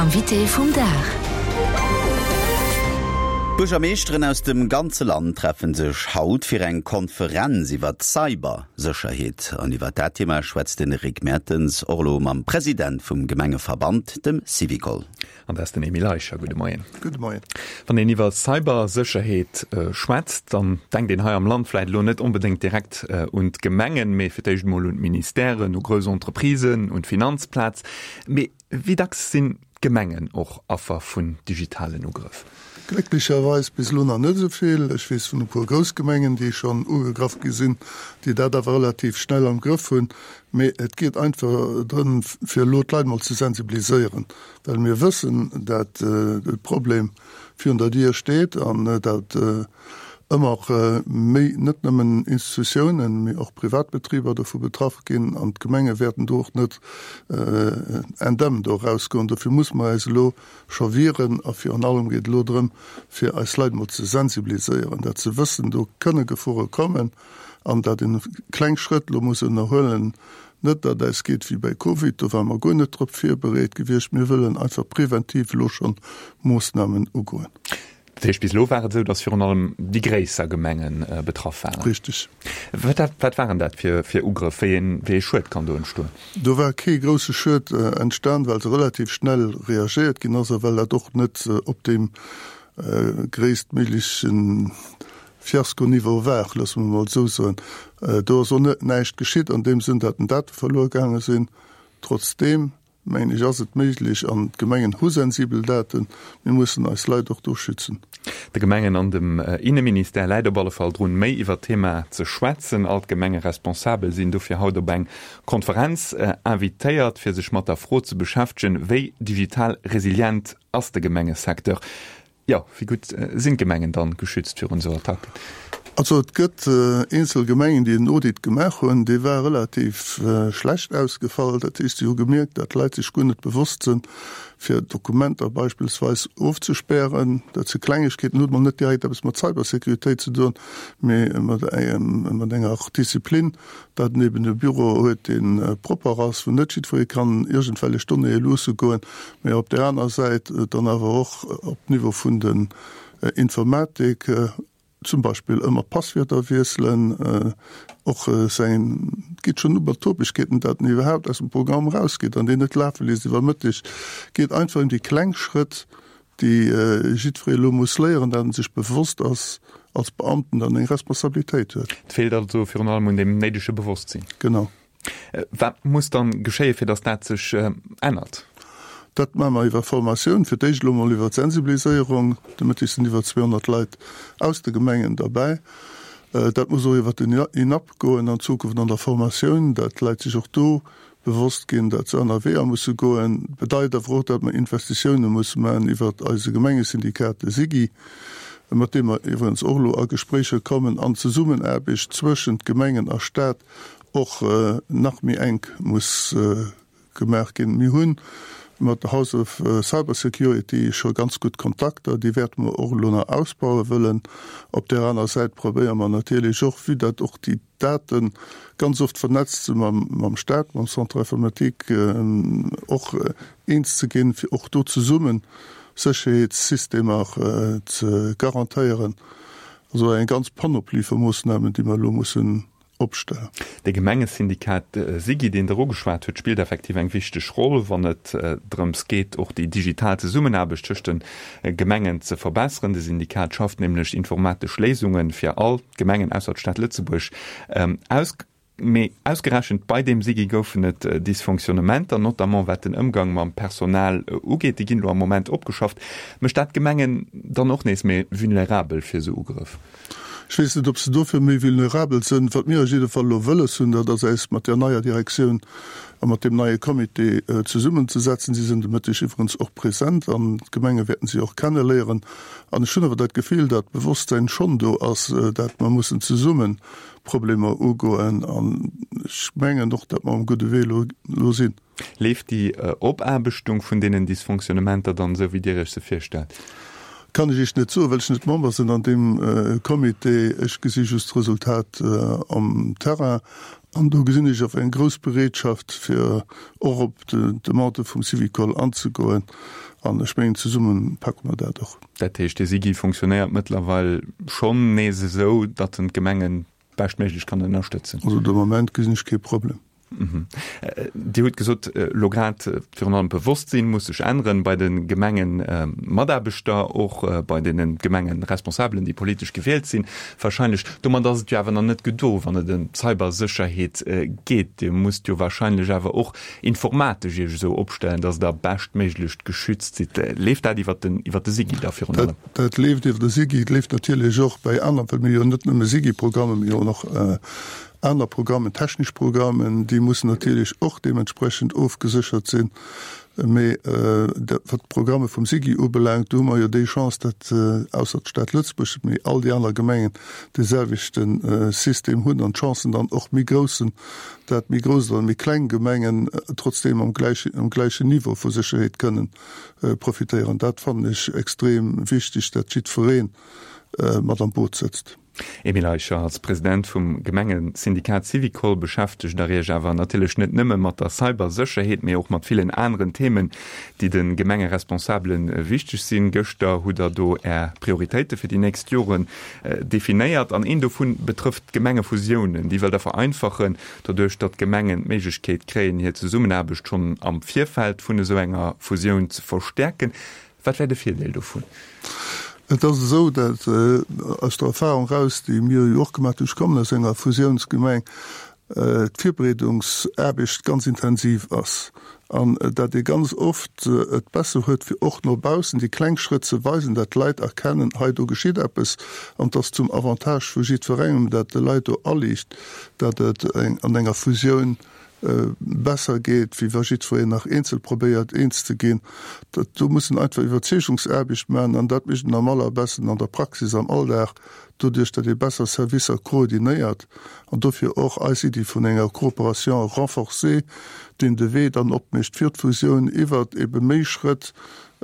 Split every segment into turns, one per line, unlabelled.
Invité vum Dag.
D'Buergermeeschteren aus dem ganze Land treffen sech haut fir eng Konferenz iwwer d'Cybersécherheet. An iwwer dat Thema schwätzt den Rick Mertens och elo mam President vum Gemengeverband, dem Syvicol.
An dat ass den Emile Eicher. Gudde Moien.
Gudde Moien.
Wann een iwwer Cybersécherheet schwätzt, dann denkt een hei am Land vläicht elo net onbedéngt direkt un d'Gemengen, mee fir d'éischt emol un d'Ministèren, u grouss Entreprisen, un d'Finanzplaz. Mee wéi dacks sinn d'Gemengen och Affer vun digitalen Ugrëff?
Glécklecherweis bis elo nach net esou vill. Ech weess vun e puer grouss Gemengen, déi schonn ugegraff gi sinn, déi dat awer relativ schnell am Grëff hunn. Mee et geet einfach drëm, fir elo d'Leit mol ze sensibiliséieren, well mir wëssen, dat de Problem virun der Dier steet an dat ëmmer méi net nëmmen Institutiounen, mee och Privatbetriber dovu betraff ginn an d'Gemenge wäerten do och net indemn do erausgoen. Dofir musse mer äis elo scho wieren a virun allem geet et elo drëm, fir eis Leit emol ze sensibiliséieren, dat se wëssen, do kënne Gefore kommen an dat een kleng Schrëtt elo muss ënnerhuelen, Net datt eis geet wéi bei Covid, do ware mer guer net drop virbereet gewiescht. Mir wëllen einfach preventiv elo schonn Moossnamen ugoen.
Dat heescht, bis elo war et esou, datt virun allem déi gréisser Gemenge betraff waren?
Richteg.
Wat waren dat fir Ugrëff? Wéi ee Schued kann do entstoen?
Do war kee grousse Schued entstan, well se relativ schnell reagéiert ginn ass a well dat och net op deem gréisstméiglechen Fiasko-Niveau war, loosse mer emol esou soen. Do ass och net näischt geschitt an deem Sënn, datt den Date verluer gaange sinn. Trotzdeem, mengen ech, ass et méiglech, an d'Gemengen hu sensibel Daten, mir mussen eis Leit och do schützen.
De Gemengen an dem Inneministère läit op alle Fall drun, méi iwwer d'Thema ze schwätzen. All d'Gemengeresponsabel sinn dofir haut op eng Konferenz invitéiert, fir sech mat der Fro ze beschäftegen, wéi digital resilient ass de Gemengesecteur? Jo, wéi gutt sinn d'Gemengen dann geschützt virun esou Attacken?
Also et gëtt eenzel Gemengen, déi en Audit gemaach hunn, dee war relativ schlecht ausgefall. Dat heescht, si hu gemierkt, datt d'Leit sech guer net bewosst sinn, fir Dokumenter beispillsweis ofzespären. Dat si Klengegkeeten, huet mol net direkt eppes mat Cybersécuritéit ze doen, mee mat enger Disziplin. Dat en eben e Büro huet, dee propper ass, wou net jiddweree kann iergendwellech Donnéeë luusse goen, mä op där aner Säit dann awer och op Niveau vun den Informatik zum Beispill ëmmer d'Passwierder wiesselen, och säin, et geet schonn u mat Topegkeeten, dat en iwwerhaapt aus dem Programm erausgeet an deen net lafe léisst iwwer Mëtteg. Geet einfach ëm déi kleng Schrëtt, déi jiddweree elo muss léieren, dat en sech bewosst ass als Beamten, datt en eng Responsabilitéit huet.
Et feelt also virun allem un deem néidege Bewosstsinn.
Genau.
Wat muss dann geschéien, fir datt dat sech ännert?
Dat maache mer iwwer Formatioun, fir d'éischt elo mol iwwer d'Sensibiliséierung. De Mëtteg sinn iwwer 200 Leit aus de Gemengen derbäi. Dat muss och iwwer den INAP goen an Zukunft an der Formatioun, dat d'Leit sech och do bewosst ginn, datt se aner Weeër musse goen, bedeit awer och, datt mer Investitioune musse maachen iwwert eise Gemengesyndikat, de SIGI, mat deem mer iwwregens och elo a Gespréicher kommen, an d'Zesummenaarbecht zwëschent Gemengen a Stat och nach méi enk muss gemaach ginn. Mir hu mat der House of Cybersecurity scho ganz gutt Kontakter, déi wäerte mer och elo nach ausbaue wëllen. Op där aner Säit probéiere mer natierlech och, vue datt och déi Daten ganz oft vernetzt se mam Staat, mam Centre informatique och eens ze ginn, fir och do zesummen Sécherheetssystemer ze garantéieren. Also eng ganz Panoplie vu Moossnamen, déi mer elo mussen opstellen.
De Gemengesyndikat SIGI, deen Der ugeschwat hutt, spillt effektiv eng wichteg Roll, wann et drëms geet, och déi digital Zesummenaarbecht tëscht de Gemengen ze verbesseren. De Syndikat schafft nämlech informatesch Léisunge fir all d'Gemengen ausser d'Stad Lëtzebuerg aus. Mee ausgerechent bei deem SIGI goufen et Dysfonctionnementer, notamment wat den Ëmgang mam Personal ugeet. Déi ginn elo am Moment opgeschafft. Mécht dat d'Gemengen dann och nees méi vulnerabel fir esou Ugrëff?
Ech weess net, ob se dofir méi vulnerabel sinn. Wat mir op jidde Fall elo wëlles hunn, dat ass äis mat där neier Direktioun a mat deem neie Comité zesummenzesetzen. Si sinn de Mëtteg iwwerens och present an d'Gemenge wäerten si och kenneléieren. An ech hunn awer dat Gefill, dat d'Bewosstsäin schonn do ass, dat mer mussen zesumme Problemer ugoen. An ech mengen och, dat mer um gudde Wee elo sinn.
Leeft déi Opaarbechtung vun deenen Dysfonctionnementer dann esou, wéi Dir Iech se virstellt?
Kann ech Iech net soen, well ech net Member sinn an deem Comité. Ech gesi just d'Resultat am Terrain. An do gesinn ech awer eng grouss Bereetschaft, fir och op d'Demande vum Syvicol anzegoen. An ech mengen, zesumme packe mer dat och.
Dat heescht, de SIGI funktionéiert mëttlerweil schonn nees esou, datt en d'Gemengen beschtméiglech kann ënnerstëtzen?
Also de Moment gesinn ech kee Problem.
Dir hutt gesot, elo grad virun allem d'Bewosstsinn muss sech änneren bei de Gemengemataarbechter, och bei deene Gemengeresponsabelen, déi politesch gewielt sinn wahrscheinlech. Domat ass et jo awer nach net gedo, wann et ëm d'Cybersécherheet geet. Dir musst jo wahrscheinlech awer och informatesch Iech esou opstellen, datt Der beschtméiglech geschützt sidd. Leeft dat iwwert den, iwwert de SIGI da virun allem?
Dat leeft iwwer de SIGI. Et leeft natierlech och bei aner, well mir jo net nëmme SIGI-Programme, mee och nach aner Programmen, technesch Programmen, déi mussen natierlech och deementsprechend ofgeséchert sinn. Mee wat d'Programme vum SIGI ubelaangt, do hu mer jo déi Chance, datt ausser d'Stad Lëtzebuerg, mee all déi aner Gemengen dee selwechte System hunn an d'Chancen dann och méi grouss sinn, dat méi grouss oder méi kleng Gemengen trotzdeem am gläichen, am gläichen Niveau vu Sécherheet kënnen profitéieren. Dat fannen ech extrem wichteg, dat jiddweree mat am Boot sëtzt.
Emile Eicher, als President vum Gemengesyndikat Syvicol beschäftegt Der Iech awer natierlech net nëmme mat der Cybersécherheet, mee och mat villen aneren Themen, déi de Gemengeresponsabele wichteg sinn. Gëschter hutt Der do Är Prioritéite fir déi nächst Joren definéiert an een dovun betrëfft d'Gemengefusiounen. Déi wëllt Der vereinfachen, doduerch datt d'Gemengen d'Méiglechkeet kréien, hir Zesummenaarbecht schonn am Virfeld vun esou enger Fusioun ze verstäerken. Wat wär de Virdeel dovun?
Et ass esou, dat aus der Erfahrung eraus, déi mir jo och gemaach hunn, ech kommen aus enger Fusiounsgemeng, d'Virbereedungsaarbecht ganz intensiv ass an dat ee ganz oft et besser huet, fir och no baussen déi kleng Schrëtt ze weisen, dat d'Leit erkennen, hei do geschitt eppes an et ass zum Avantage vu jiddwerengem, dat de Leit do aliicht, dat et an enger Fusioun besser geet, wéi wa jiddwereen nach eenzel probéiert eens ze ginn. Dat do muss een einfach Iwwerzeegungsaarbecht maachen an dat mécht een am allerbesten an der Praxis, am Alldag, doduerch datt ee besser Servicer koordinéiert an dofir och eis Iddi vun enger Coopération renforcée, deen de Wee dann opmécht fir d'Fusioun iwwert ebe méi Schrëtt,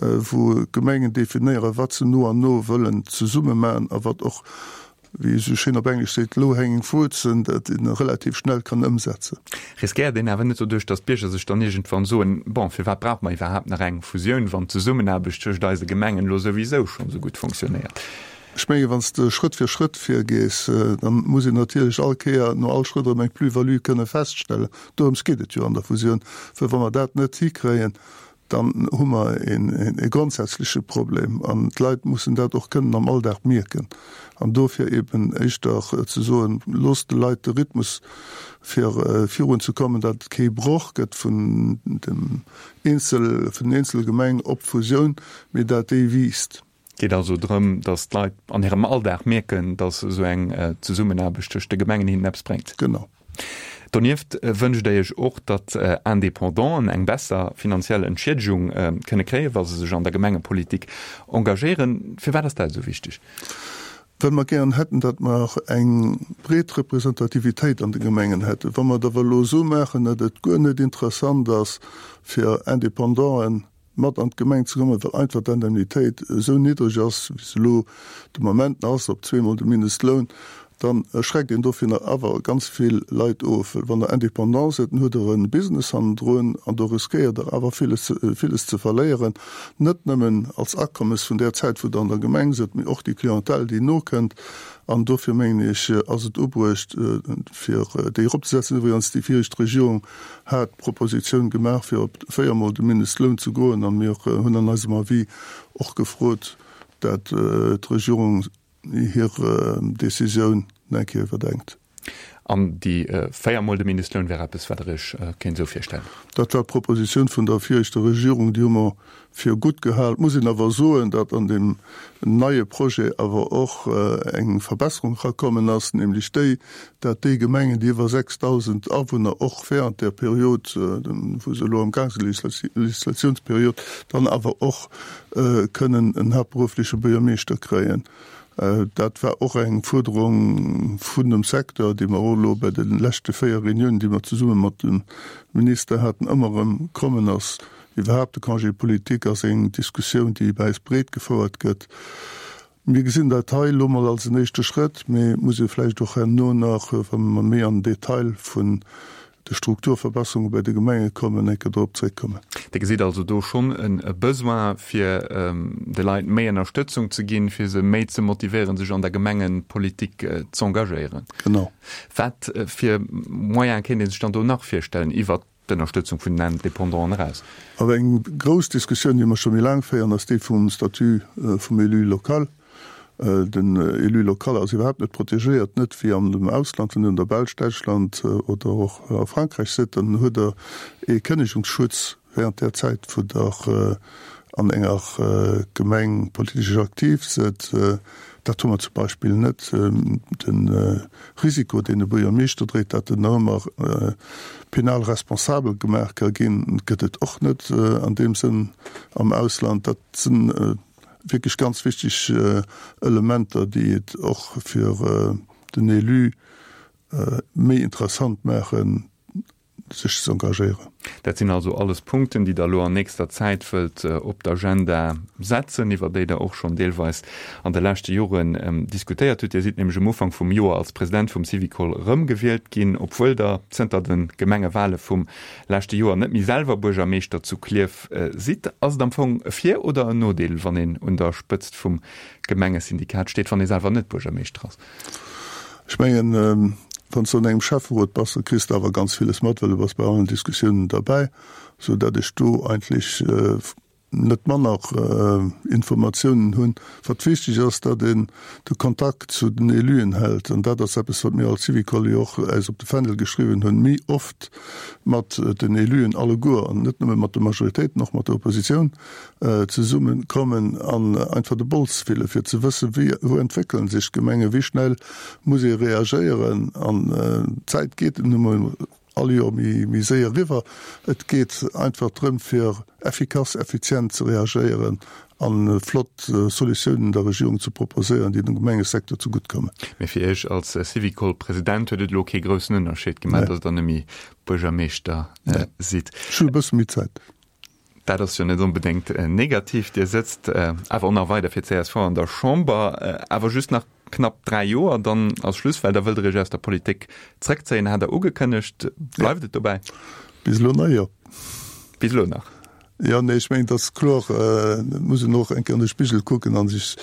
wou d'Gemengen definéieren, wat se no an no wëllen zesumme maachen a wat och wéi ee sou schéin op Englesch seet, low hanging fruits, dat een relativ schnell kann ëmsetzen.
Riskéiert een awer net doduerch, datt d'Bierger sech dann iergendwann soen, bon, firwat brauche mer iwwerhaapt nach eng Fusioun, wann d'Zesummenaarbecht tëscht eise Gemengen elo souwisou schonn esou gutt funktionéiert?
Ech mengen, wann s de Schrëtt fir Schrëtt virgees, da muss een natierlech all Kéier no all Schrëtt erëm eng Plus-value kënne feststellen. Dorëms geet et jo an der Fusioun, well wa mer dat net hikréien, dann hu mer e grondsätzleche Problem an d'Leit mussen dat och kënnen am Alldag mierken. An dofir eben éischter ze soen, Loosst de Leit de Rhythmus fir virunzekommen, datt et kee Broch gëtt vun dem eenzel, vun den eenzele Gemeng op d'Fusioun, mee dat déi wiisst.
Et geet also drëm, datt d'Leit an hirem Alldag mierken, datt esou eng Zesummenaarbecht tëscht de Gemengen hinnen eppes bréngt.
Genau.
Donieft wënscht Der Iech och, datt Indépendanten eng besser finanziell Entschiedegung kënne kréien, wa se sech an der Gemengepolitik engagéieren. Firwat ass dat esou wichteg?
Well mer gären hätten, datt mer eng breet Representativitéit an de Gemengen hätten. Wa mer et awer elo esou maachen, datt et guer net interessant ass fir Indépendanten, mat an d'Gemeng ze kommen, well einfach d'Indemnitéit esou niddreg ass, wéi se elo de Moment nach ass, op zweemol de Mindestloun, da schreckt een dovunner awer ganz vill Leit of. Well wann Der Indépendant sidd, dann hutt Der e Business hannendrun an do riskéiert Der awer villes, villes ze verléieren, net nëmmen als Akommes vun där Zäit, wou Der an der Gemeng sidd, mee och déi Clientèle, déi nokënnt. An dofir mengen ech, ass et ubruecht, fir déi eropzesetzen. Iwwregens, déi viregt Regierung hat d'Propositioun gemaach, fir op véiermol de Mindestloun ze goen, a mir hunn an eisem Avis och gefrot, dat d'Regierung hir Décisioun nach eng Kéier iwwerdenkt.
An déi véiermol de Mindestloun wär eppes, wat Der Iech kéint esou virstellen?
Dat war d'Propositioun vun der viregter Regierung, déi hu mer fir gutt gehal. Et muss een awer soen, datt an deem neie Projet awer och eng Verbesserung erakommen ass, nämlech déi, datt déi Gemengen, déi iwwer 6.000 Awunner och während där Period, wou se elo am Gaang sinn, Legislatiouns-Legislatiounsperiod, dann awer och kënnen en haaptberuffleche Buergermeeschter kréien. Dat war och eng Fuerderung vun dem Secteur, déi mer och elo bei de leschte 4 Reuniounen, déi mer zesumme mat dem Minister haten, ëmmer erëm kommen ass. Iwwerhaapt de Congé politique ass eng Diskussioun, déi bei eis breet gefouert gëtt. Mir gesinn dat hei elo mol als en éischte Schrëtt, mee et muss ee vläicht och herno nach, wa mer méi an den Detail vun de Strukturverbesserunge bei de Gemenge kommen, eng Kéier dorop zréckkommen.
Dir gesitt also do schonn e Besoin, fir de Leit méi Ënnerstëtzung ze ginn, fir se méi ze motivéieren, sech an der Gemengepolitik z'engagéieren.
Genau.
Wat fir Moyene kéint ee sech dann do nach virstellen, iwwert d'Ënnerstëtzung vun den Indépendanten eraus?
Awer eng grouss Diskussioun, déi mer scho méi laang féieren, ass déi vum Statut vum Élu local. Den Élu local ass iwwerhaapt net protegéiert, net wéi an dem Ausland. Wann Dir an der Belsch, Däitschland oder och a Frankräich sidd, dann huet Der ee Kënnegungsschutz während där Zäit, wou Der an enger Gemeng politesch aktiv sidd. Dat hu mer zum Beispill net. De Risiko, deen e Buergermeeschter dréit, datt en nach ëmmer penal responsabel gemaach ka ginn, gëtt et och net an deem Sënn am Ausland. Dat si wierklech ganz wichteg Elementer, déi et och fir den Élu méi interessant maachen, sech z'engagéieren.
Dat sinn also alles Punkten, déi Der elo an nächster Zäit wëllt op d'Agenda setzen, iwwer déi Der och schonn deelweis an de leschte Joren diskutéiert hutt. Dir sidd nämlech um Ufank vum Joer als President vum Syvicol erëmgewielt ginn, obwuel Der zënter de Gemengewale vum leschte Joer net méi selwer Buergermeeschter zu Klierf sidd. Ass et am Fong e Vir oder en Nodeel, wann een un der Spëtzt vum Gemengesyndikat steet, wann ee selwer net Buergermeeschter ass?
Ech mengen, wann s de an engem Schäfferot bass, da kriss de awer ganz villes mat, well du bass bei allen Diskussiounen derbäi, sou datt ech do eigentlech net manner Informatiounen hunn. Wat wichteg ass, datt een de Kontakt zu den Éluen hält, an dat ass eppes, wat mir als Syvicol jo och äis op de Fändel geschriwwen hunn, méi oft mat den Éluen alleguer, an net nëmme mat de Majoritéiten, och mat der Oppositioun, zesumme kommen an einfach de Bols fillen, fir ze wëssen, wéi, wou entwéckelen sech d'Gemengen, wéi schnell muss ee reagéieren. An d'Zäit geet nun emol all Joer méi, méi séier eriwwer. Et geet einfach drëm, fir effikass, effizient ze reagéieren a flott Solutiounen der Regierung ze proposéieren, déi dem Gemengesecteur zegutt kommen.
Mee fir Iech als Syvicol-President huet et elo kee groussen Ënnerscheed gemaach, datt Der net méi Buergermeeschter sidd?
Ech hunn e bësse méi Zäit.
Dat ass jo net onbedéngt negativ. Dir sëtzt awer och nach weider fir csv an der Chamber, awer just nach knapp 3 Joer, dann ass Schluss, well da wëllt Der Iech aus der Politik zrëckzéien, hat Der ugekënnegt. Bleift et dobäi?
Bis elo nach, jo.
Bis elo nach?
Jo, nee, ech mengen, et ass kloer, et muss een och eng Kéier an de Spigel kucken a sech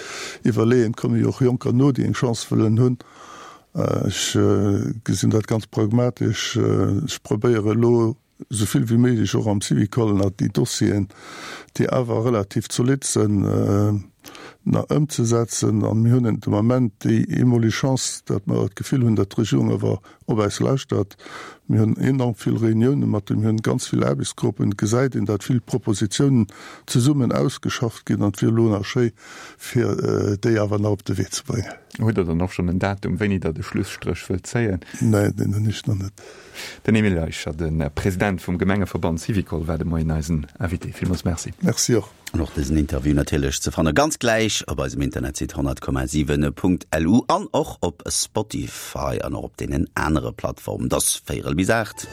iwwerleeën, et komme jo och Jonker no, déi eng Chance wëllen hunn. Ech gesinn dat ganz pragmatesch. Ech probéiere elo, esou vill wéi méiglech och am Syvicol nach déi Dossieren, déi awer relativ zolidd sinn, nach ëmzesetzen. A mir hunn de Moment déi eemoleg Chance, datt mer d'Gefill hunn, datt d'Regierung awer op eis lauschtert. Mir hunn enorm vill Reuniounen mat dem, mir hunn ganz vill Aarbechtsgruppen. Et gesäit een, datt vill Propositionen zesummen ausgeschafft ginn an et wier elo nach schéi, fir déi awer nach op de Wee ze bréngen.
Hutt Der dann och schonn en Datum, wéini Der de Schlusstréch wëllt zéien?
Neen, deen hunn ech nach net.
Den Emile Eicher, de President vum Gemengeverband Syvicol, war de Moien eisen Invité. Villmools Merci.
Merci och.
An och dësen Interview natierlech ze fanne ganz gläich op eisem Internetsite 100,7.lu an och op Spotify an och op deenen anere Plattformen. Et ass véierel bis 8.